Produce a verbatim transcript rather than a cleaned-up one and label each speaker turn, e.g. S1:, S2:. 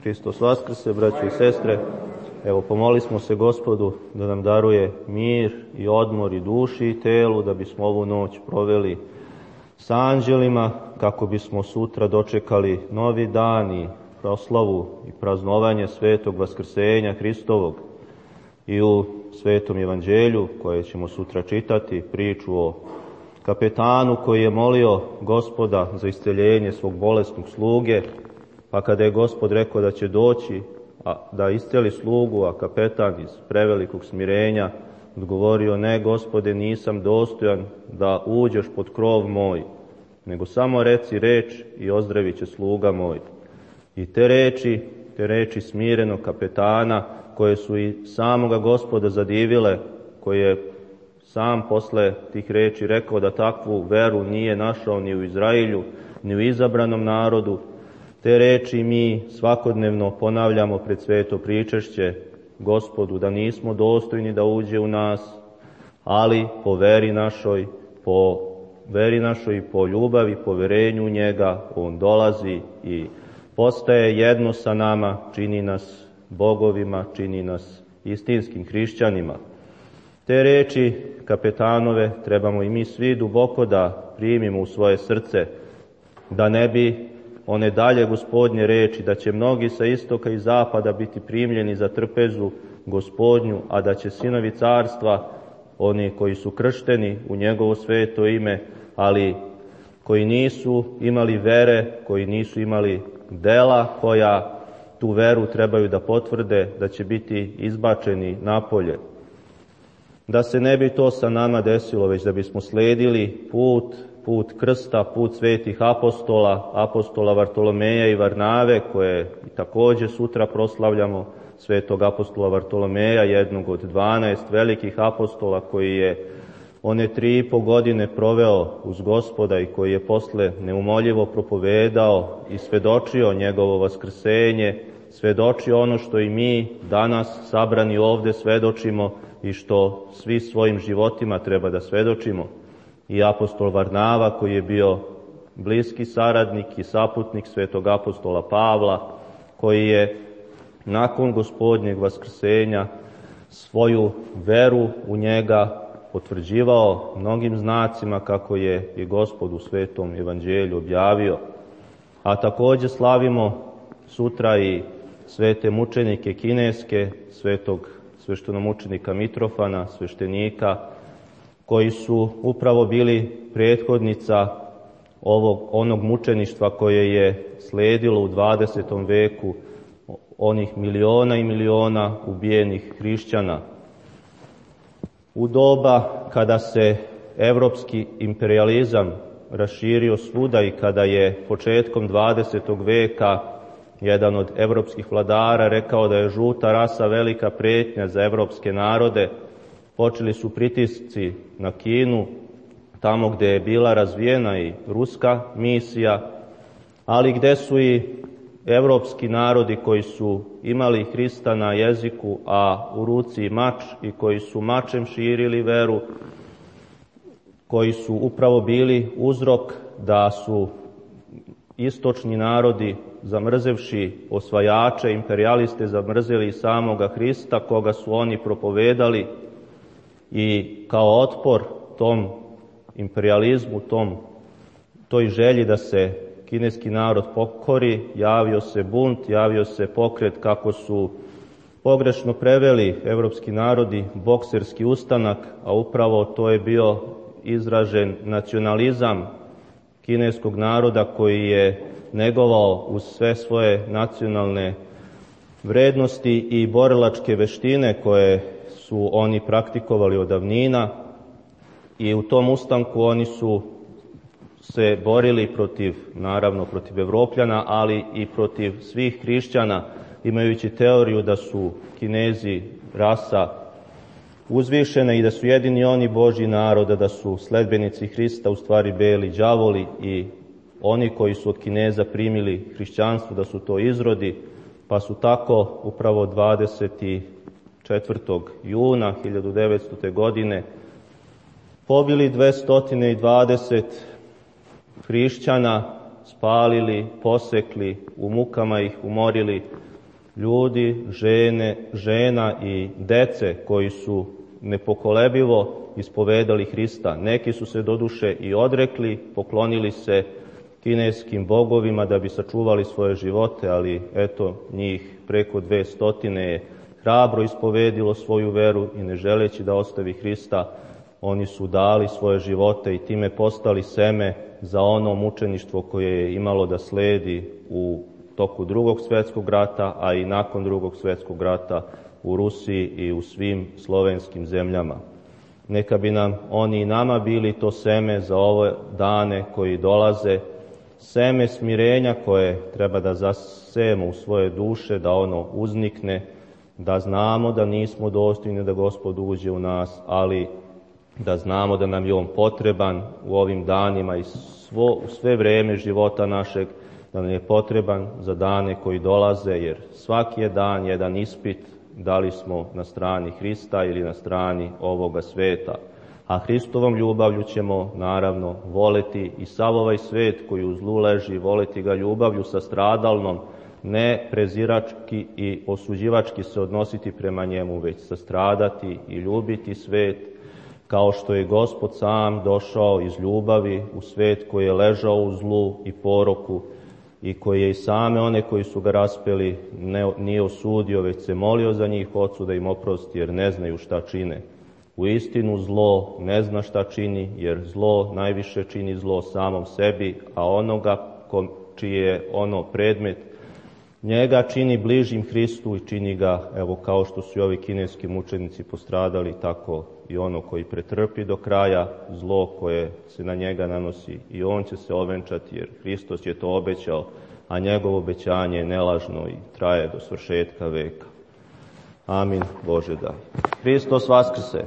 S1: Hristos vaskrse, braćo i sestre. Evo, pomoli smo se Gospodu da nam daruje mir i odmor i duši i telu, da bismo ovu noć proveli sa anđelima, kako bismo sutra dočekali novi dan i proslavu i praznovanje svetog vaskrsenja Hristovog. I u svetom evanđelju, koje ćemo sutra čitati, priču o kapetanu koji je molio Gospoda za isceljenje svog bolesnog sluge, pa kada je Gospod rekao da će doći a, da isceli slugu, a kapetan iz prevelikog smirenja odgovorio: ne, Gospode, nisam dostojan da uđeš pod krov moj, nego samo reci reč i ozdravit će sluga moj. I te reči, te reči smirenog kapetana, koje su i samoga Gospoda zadivile, koji je sam posle tih reči rekao da takvu veru nije našao ni u Izraelju, ni u izabranom narodu, te reči mi svakodnevno ponavljamo pred sveto pričešće Gospodu, da nismo dostojni da uđe u nas, ali po veri našoj, po veri našoj i po ljubavi, poverenju u njega, on dolazi i postaje jedno sa nama, čini nas bogovima, čini nas istinskim hrišćanima. Te reči kapetanove trebamo i mi svi duboko da primimo u svoje srce, da ne bi one dalje Gospodnje reči, da će mnogi sa istoka i zapada biti primljeni za trpezu Gospodnju, a da će sinovi carstva, oni koji su kršteni u njegovo sveto ime, ali koji nisu imali vere, koji nisu imali dela koja tu veru trebaju da potvrde, da će biti izbačeni napolje. Da se ne bi to sa nama desilo, već da bismo sledili put, put krsta, put svetih apostola, apostola Vartolomeja i Varnave, koje također sutra proslavljamo, svetog apostola Vartolomeja, jednog od dvanaest velikih apostola, koji je one tri i po godine proveo uz Gospoda i koji je posle neumoljivo propovedao i svedočio njegovo vaskrsenje, svedočio ono što i mi danas sabrani ovde svedočimo i što svi svojim životima treba da svedočimo. I apostol Varnava, koji je bio bliski saradnik i saputnik svetog apostola Pavla, koji je nakon Gospodnjeg vaskrsenja svoju veru u njega potvrđivao mnogim znacima, kako je i Gospod u svetom evanđelju objavio. A također slavimo sutra i svete mučenike kineske, svetog sveštenomučenika Mitrofana, sveštenika, koji su upravo bili prethodnica ovog, onog mučeništva koje je sledilo u dvadesetom veku, onih miliona i miliona ubijenih hrišćana. U doba kada se evropski imperializam raširio svuda i kada je početkom dvadesetog veka jedan od evropskih vladara rekao da je žuta rasa velika pretnja za evropske narode, počeli su pritisci na Kinu, tamo gdje je bila razvijena i ruska misija, ali gdje su i evropski narodi koji su imali Hrista na jeziku, a u ruci mač, i koji su mačem širili veru, koji su upravo bili uzrok da su istočni narodi, zamrzevši osvajače, imperialiste, zamrzeli samoga Hrista, koga su oni propovedali, i kao otpor tom imperializmu, tom, toj želji da se kineski narod pokori, javio se bunt, javio se pokret, kako su pogrešno preveli evropski narodi, bokserski ustanak, a upravo to je bio izražen nacionalizam kineskog naroda, koji je negovao uz sve svoje nacionalne vrednosti i borilačke veštine koje su oni praktikovali od davnina, i u tom ustanku oni su se borili protiv, naravno protiv Evropljana, ali i protiv svih hrišćana, imajući teoriju da su Kinezi rasa uzvišena i da su jedini oni Božji narod, da su sledbenici Hrista u stvari beli đavoli, i oni koji su od Kineza primili hrišćanstvo da su to izrodi, pa su tako upravo dvadeset četvrtog juna hiljadu devetstute. godine pobili dvesta dvadeset hrišćana, spalili, posekli, u mukama ih umorili, ljudi, žene, žena i dece koji su nepokolebivo ispovedali Hrista. Neki su se doduše i odrekli, poklonili se kineskim bogovima da bi sačuvali svoje živote, ali eto njih preko dve stotine je hrabro ispovedilo svoju veru i ne želeći da ostavi Hrista, oni su dali svoje živote i time postali seme za ono mučeništvo koje je imalo da sledi u toku drugog svjetskog rata, a i nakon drugog svjetskog rata u Rusiji i u svim slovenskim zemljama. Neka bi nam oni i nama bili to seme za ove dane koji dolaze, seme smirenja koje treba da zasejemo u svoje duše, da ono uznikne, da znamo da nismo dostojni da Gospod uđe u nas, ali da znamo da nam je On potreban u ovim danima i svo, u sve vreme života našeg, da nam je potreban za dane koji dolaze, jer svaki je dan jedan ispit, da li smo na strani Hrista ili na strani ovoga sveta. A Hristovom ljubavlju ćemo naravno voleti i sav ovaj svet koji u zlu leži, voleti ga ljubavlju sastradalnom, ne prezirački i osuđivački se odnositi prema njemu, već sastradati i ljubiti svet, kao što je Gospod sam došao iz ljubavi u svet koji je ležao u zlu i poroku i koji je i same one koji su ga raspeli ne, nije osudio, već se molio za njih Ocu da im oprosti, jer ne znaju šta čine. U istinu zlo ne zna šta čini, jer zlo najviše čini zlo samom sebi, a onoga ko, čiji je ono predmet, njega čini bližim Hristu i čini ga, evo kao što su i ovi kineski mučenici postradali, tako i ono koji pretrpi do kraja zlo koje se na njega nanosi, i on će se ovenčati, jer Hristos je to obećao, a njegovo obećanje je nelažno i traje do svršetka veka. Amin. Bože daj. Hristos vaskrse.